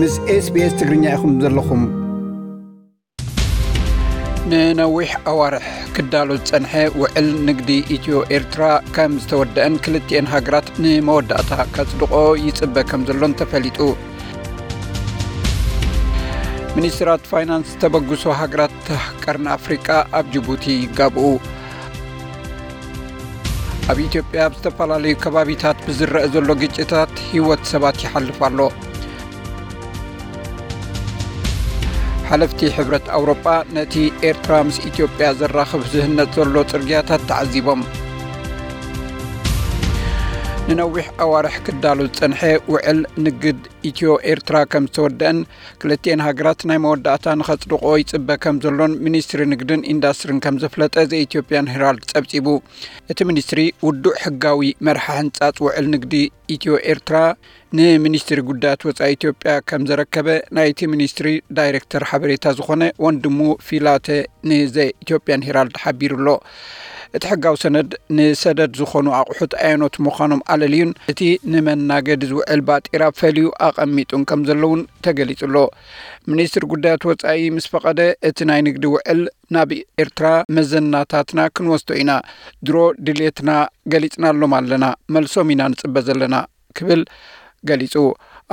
ምስ SBS ትግርኛ ኢኹም ዘለኹም። ንነዊሕ ኣዋርሕ ክዳሎ ዝጸንሐ ውዕል ንግዲ ኢትዮ ኤርትራ ከም ዝተወደአን ክልቲኤን ሃገራት ንመወዳእታ ከጽድቆ ይጽበ ከም ዘሎን ተፈሊጡ። ሚኒስትራት ፋይናንስ ተበግሶ ሃገራት ቀርኒ ኣፍሪቃ ኣብ ጅቡቲ ይጋብኡ። ኣብ ኢትዮጵያ ኣብ ዝተፈላለዩ ከባቢታት ብዝረአ ዘሎ ግጭታት ህይወት ሰባት ይሓልፍ ኣሎ። ሓለፍቲ ሕብረት ኣውሮጳ ነቲ ኤርትራ ምስ ኢትዮጵያ ዘራኽብ ዝህነጽ ዘሎ ጽርግያታት ተዓዚቦም። ንነዊሕ ኣዋርሕ ክዳሎ ዝጸንሐ ውዕል ንግድ ኢትዮ ኤርትራ ከም ዝተወደአን ክልቲኤን ሃገራት ናይ መወዳእታ ንኸጽድቆ ይጽበ ከም ዘሎን ሚኒስትሪ ንግድን ኢንዳስትሪን ከም ዘፍለጠ ዘ ኢትዮጵያን ሄራልድ ጸብጺቡ። እቲ ሚኒስትሪ ውዱእ ሕጋዊ መርሓ ሕንጻጽ ውዕል ንግዲ ኢትዮ ኤርትራ ንሚኒስትሪ ጉዳያት ወጻኢ ኢትዮጵያ ከም ዘረከበ ናይቲ ሚኒስትሪ ዳይሬክተር ሓበሬታ ዝኾነ ወንድሙ ፊላተ ንዘ ኢትዮጵያን ሄራልድ ሓቢሩ ኣሎ። እቲ ሕጋዊ ሰነድ ንሰደድ ዝኾኑ ኣቑሑት ኣየኖት ምዃኖም ኣለልዩን እቲ ንመናገዲ ዝውዕል ባጤራ ፈልዩ ኣቐሚጡን ከም ዘለውን ተገሊጹ ኣሎ። ሚኒስትሪ ጉዳያት ወጻኢ ምስ ፈቐደ እቲ ናይ ንግዲ ውዕል ናብ ኤርትራ መዘናታትና ክንወስዶ ኢና። ድሮ ድሌትና ገሊጽናሎም ኣለና፣ መልሶም ኢና ንጽበ ዘለና ክብል ገሊጹ።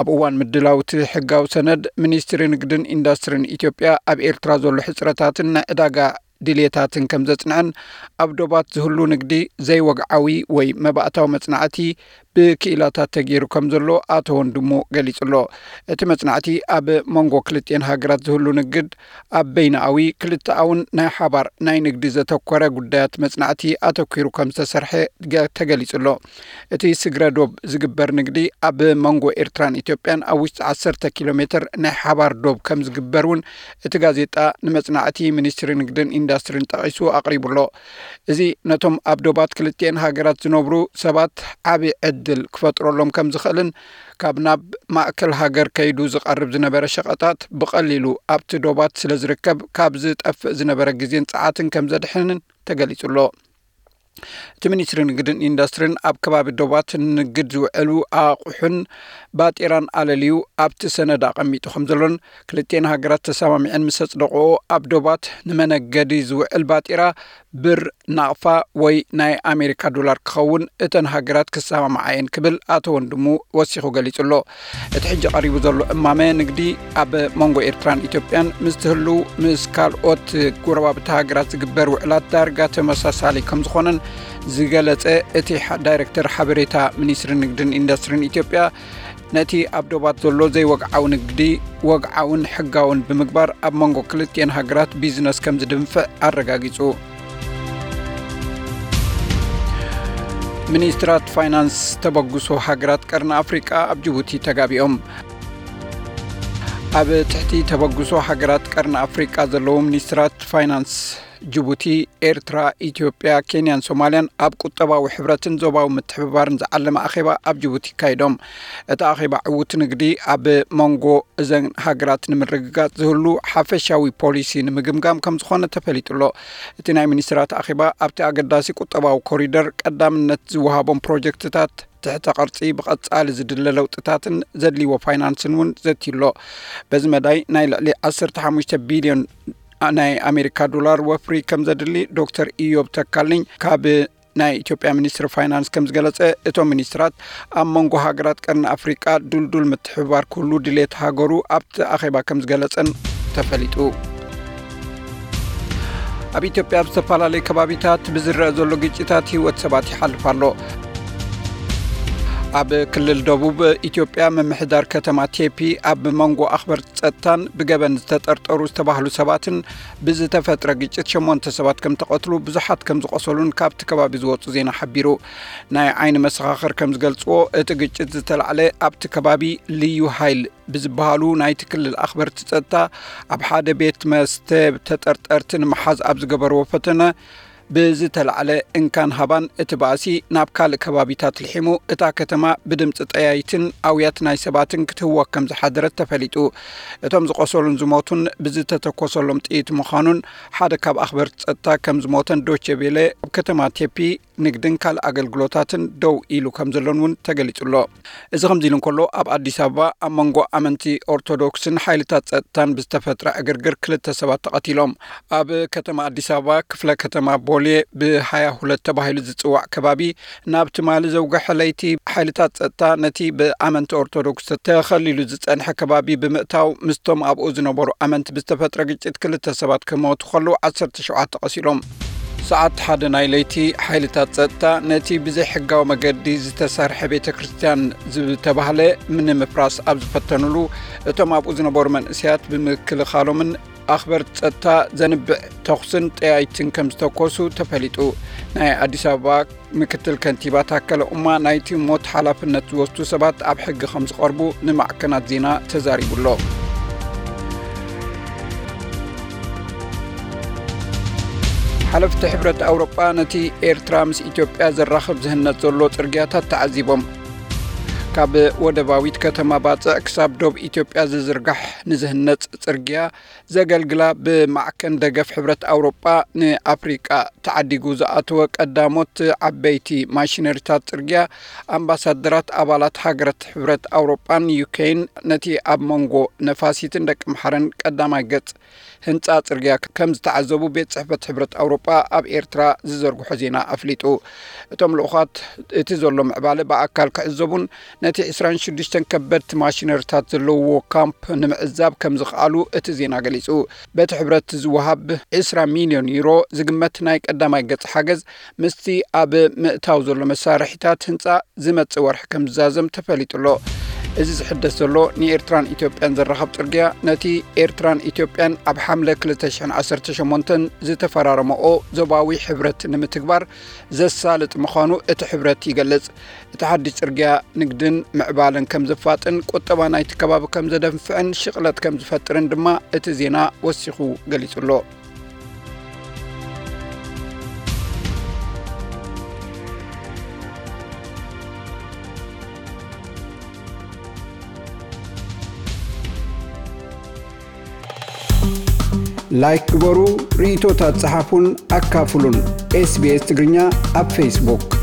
ኣብ እዋን ምድላው እቲ ሕጋዊ ሰነድ ሚኒስትሪ ንግድን ኢንዳስትሪን ኢትዮጵያ ኣብ ኤርትራ ዘሎ ሕጽረታትን ናይ ዕዳጋ ድሌታትን ከም ዘጽንዐን ኣብ ዶባት ዝህሉ ንግዲ ዘይወግዓዊ ወይ መባእታዊ መጽናዕቲ ብክኢላታት ተገይሩ ከም ዘሎ ኣቶ ወንድሙ ገሊጹ ኣሎ። እቲ መጽናዕቲ ኣብ መንጎ ክልቲኤን ሃገራት ዝህሉ ንግድ ኣብ በይናኣዊ ክልተኣውን ናይ ሓባር ናይ ንግዲ ዘተኮረ ጉዳያት መጽናዕቲ ኣተኲሩ ከም ዝተሰርሐ ገ-፣ ተገሊጹ ኣሎ። እቲ ስግረ ዶብ ዝግበር ንግዲ ኣብ መንጎ ኤርትራን ኢትዮጵያን ኣብ ውሽጢ ዓሰርተ ኪሎ ሜትር ናይ ሓባር ዶብ ከም ዝግበር እውን እቲ ጋዜጣ ንመጽናዕቲ ሚኒስትሪ ንግድን ኢንዳስትሪን ጠቒሱ ኣቕሪቡ ኣሎ። እዚ ነቶም ኣብ ዶባት ክልቲኤን ሃገራት ዝነብሩ ሰባት ዓቢ ዕድል ክፈጥረሎም ከም ዝኽእልን ካብ ናብ ማእከል ሃገር ከይዱ ዝቐርብ ዝነበረ ሸቐጣት ብቐሊሉ ኣብቲ ዶባት ስለ ዝርከብ ካብ ዝጠፍእ ዝነበረ ግዜን ጸዓትን ከም ዘድሕንን ተገሊጹ ኣሎ። እቲ ሚኒስትሪ ንግድን ኢንዳስትሪን ኣብ ከባቢ ዶባት ንግድ ዝውዕሉ ኣቑሑን ባጤራን ኣለልዩ ኣብቲ ሰነድ ኣቐሚጡ ከም ዘሎን ክልቲኤን ሃገራት ተሰማሚዐን ምስ ኣጽደቕኦ ኣብ ዶባት ንመነገዲ ዝውዕል ባጤራ ብር፣ ናቕፋ ወይ ናይ ኣሜሪካ ዶላር ክኸውን እተን ሃገራት ክሰማምዓ እየን ክብል ኣቶ ወንድሙ ወሲኹ ገሊጹ ኣሎ። እቲ ሕጂ ቀሪቡ ዘሎ እማመ ንግዲ ኣብ መንጎ ኤርትራን ኢትዮጵያን ምስ ትህሉ ምስ ካልኦት ጎረባብቲ ሃገራት ዝግበር ውዕላት ዳርጋ ተመሳሳሊ ከም ዝኾነን ዝገለጸ እቲ ሓ-፣ ዳይሬክተር ሓበሬታ ሚኒስትሪ ንግድን ኢንዳስትሪን ኢትዮጵያ ነቲ ኣብ ዶባት ዘሎ ዘይወግዓዊ ንግዲ ወግዓውን ሕጋውን ብምግባር ኣብ መንጎ ክልቲኤን ሃገራት ቢዝነስ ከም ዝድንፍዕ ኣረጋጊጹ። ሚኒስትራት ፋይናንስ ተበግሶ ሃገራት ቀርኒ ኣፍሪቃ ኣብ ጅቡቲ ተጋቢኦም። ኣብ ትሕቲ ተበግሶ ሃገራት ቀርኒ ኣፍሪቃ ዘለዉ ሚኒስትራት ፋይናንስ ጅቡቲ፣ ኤርትራ፣ ኢትዮጵያ፣ ኬንያን ሶማልያን ኣብ ቁጠባዊ ሕብረትን ዞባዊ ምትሕብባርን ዝዓለመ ኣኼባ ኣብ ጅቡቲ ኣካይዶም። እቲ ኣኼባ ዕዉት ንግዲ ኣብ መንጎ እዘን ሃገራት ንምርግጋጽ ዝህሉ ሓፈሻዊ ፖሊሲ ንምግምጋም ከም ዝኾነ ተፈሊጡ ኣሎ። እቲ ናይ ሚኒስትራት ኣኼባ ኣብቲ ኣገዳሲ ቁጠባዊ ኮሪደር ቀዳምነት ዝወሃቦም ፕሮጀክትታት ትሕተ ቅርጺ ብቐጻሊ ዝድለ ለውጥታትን ዘድልይዎ ፋይናንስን እውን ዘትዩ ኣሎ። በዚ መዳይ ናይ ልዕሊ ዓሰርተ ሓሙሽተ ቢልዮን ናይ ኣሜሪካ ዶላር ወፍሪ ከም ዘድሊ ዶክተር ኢዮብ ተካልኝ ካብ ናይ ኢትዮጵያ ሚኒስትሪ ፋይናንስ ከም ዝገለጸ፣ እቶም ሚኒስትራት ኣብ መንጎ ሃገራት ቀርኒ ኣፍሪቃ ድልዱል ምትሕብባር ክህሉ ድሌት ሃገሩ ኣብቲ ኣኼባ ከም ዝገለጸን ተፈሊጡ። ኣብ ኢትዮጵያ ኣብ ዝተፈላለዩ ከባቢታት ብዝረአ ዘሎ ግጭታት ህይወት ሰባት ይሓልፍ ኣሎ። ኣብ ክልል ደቡብ ኢትዮጵያ ምምሕዳር ከተማ ቴፒ ኣብ መንጎ ኣኽበርቲ ጸጥታን ብገበን ዝተጠርጠሩ ዝተባህሉ ሰባትን ብዝተፈጥረ ግጭት ሸሞንተ ሰባት ከም ተቐትሉ ብዙሓት ከም ዝቖሰሉን ካብቲ ከባቢ ዝወጹ ዜና ሓቢሩ። ናይ ዓይኒ መሰኻኽር ከም ዝገልጽዎ እቲ ግጭት ዝተላዕለ ኣብቲ ከባቢ ልዩ ሃይል ብዝበሃሉ ናይቲ ክልል ኣኽበርቲ ጸጥታ ኣብ ሓደ ቤት መስተ ተጠርጠርቲ ንምሓዝ ኣብ ዝገበርዎ ፈተነ ብዝተላዕለ እንካን ሃባን እቲ ባእሲ ናብ ካልእ ከባቢታት ልሒሙ እታ ከተማ ብድምፂ ጠያይትን ኣውያት ናይ ሰባትን ክትህወክ ከም ዝሓደረት ተፈሊጡ። እቶም ዝቆሰሉን ዝሞቱን ብዝተተኮሰሎም ጥይት ምዃኑን ሓደ ካብ ኣኽበርቲ ጸጥታ ከም ዝሞተን ዶቼ ቬለ ኣብ ከተማ ቴፒ ንግድን ካልእ ኣገልግሎታትን ደው ኢሉ ከም ዘሎን እውን ተገሊጹ ኣሎ። እዚ ከምዚ ኢሉ እንከሎ፣ ኣብ ኣዲስ ኣበባ ኣብ መንጎ ኣመንቲ ኦርቶዶክስን ሓይልታት ጸጥታን ብዝተፈጥረ ዕግርግር ክልተ ሰባት ተቐቲሎም። ኣብ ከተማ ኣዲስ ኣበባ ክፍለ ከተማ ቦሌ ብ ሃያ ሁለት ተባሂሉ ዝጽዋዕ ከባቢ፣ ናብ ትማሊ ዘውግሐ ለይቲ ሓይልታት ጸጥታ ነቲ ብኣመንቲ ኦርቶዶክስ ተኸሊሉ ዝጸንሐ ከባቢ ብምእታው፣ ምስቶም ኣብኡ ዝነበሩ ኣመንቲ ብዝተፈጥረ ግጭት ክልተ ሰባት ክሞቱ ከለዉ፣ ዓሰርተ ሸውዓተ ቆሲሎም። ሰዓት ሓደ ናይ ለይቲ፣ ሓይልታት ጸጥታ ነቲ ብዘይሕጋዊ መገዲ ዝተሰርሐ ቤተ ክርስቲያን ዝተባህለ ንምፍራስ ኣብ ዝፈተኑሉ፣ እቶም ኣብኡ ዝነበሩ መንእሰያት ብምክልኻሎምን ኣኽበርቲ ጸጥታ ዘንብዕ ተኹስን ጠያይትን ከም ዝተኮሱ ተፈሊጡ። ናይ ኣዲስ ኣበባ ምክትል ከንቲባ ታከለ ኡማ፣ ናይቲ ሞት ሓላፍነት ዝወስዱ ሰባት ኣብ ሕጊ ከም ዝቐርቡ ንማዕከናት ዜና ተዛሪቡ ኣሎ። ሓለፍቲ ሕብረት ኣውሮጳ ነቲ ኤርትራ ምስ ኢትዮጵያ ዘራኽብ ዝህነጽ ዘሎ ጽርግያታት ተዓዚቦም። ካብ ወደባዊት ከተማ ባጽዕ ክሳብ ዶብ ኢትዮጵያ ዝዝርጋሕ ንዝህነጽ ጽርግያ ዘገልግላ ብማዕከን ደገፍ ሕብረት ኣውሮጳ ንኣፍሪቃ ተዓዲጉ ዝኣተወ ቀዳሞት ዓበይቲ ማሽነሪታት ጽርግያ፣ ኣምባሳደራት ኣባላት ሃገራት ሕብረት ኣውሮጳን ዩኬን፣ ነቲ ኣብ መንጎ ነፋሲትን ደቂ ምሓረን ቀዳማይ ገጽ ህንጻ ጽርግያ ከም ዝተዓዘቡ ቤት ጽሕፈት ሕብረት ኣውሮጳ ኣብ ኤርትራ ዝዘርግሖ ዜና ኣፍሊጡ። እቶም ልኡኻት እቲ ዘሎ ምዕባለ ብኣካል ክዕዘቡን ነቲ ዕስራን ሽዱሽተን ከበድቲ ማሽነሪታት ዘለውዎ ካምፕ ንምዕዛብ ከም ዝኸኣሉ እቲ ዜና ገሊጹ። በቲ ሕብረት ዝወሃብ ዕስራ ሚልዮን ዩሮ ዝግመት ናይ ቀዳማይ ገጽ ሓገዝ፣ ምስቲ ኣብ ምእታው ዘሎ መሳርሒታት ህንጻ ዝመጽእ ወርሒ ከም ዝዛዘም ተፈሊጡ ኣሎ። እዚ ዝሕደስ ዘሎ ንኤርትራን ኢትዮጵያን ዘራኽብ ጽርግያ፣ ነቲ ኤርትራን ኢትዮጵያን ኣብ ሓምለ ክልተ ሽሕን ዓሰርተ ሸሞንተን ዝተፈራረመኦ ዞባዊ ሕብረት ንምትግባር ዘሳልጥ ምዃኑ እቲ ሕብረት ይገልጽ። እቲ ሓድሽ ጽርግያ ንግድን ምዕባለን ከም ዘፋጥን፣ ቁጠባ ናይቲ ከባቢ ከም ዘደንፍዕን ሽቕለት ከም ዝፈጥርን ድማ እቲ ዜና ወሲኹ ገሊጹ ኣሎ። ላይክ ግበሩ፣ ርእይቶታት ጸሓፉን ኣካፍሉን። ኤስቢኤስ ትግርኛ ኣብ ፌስቡክ።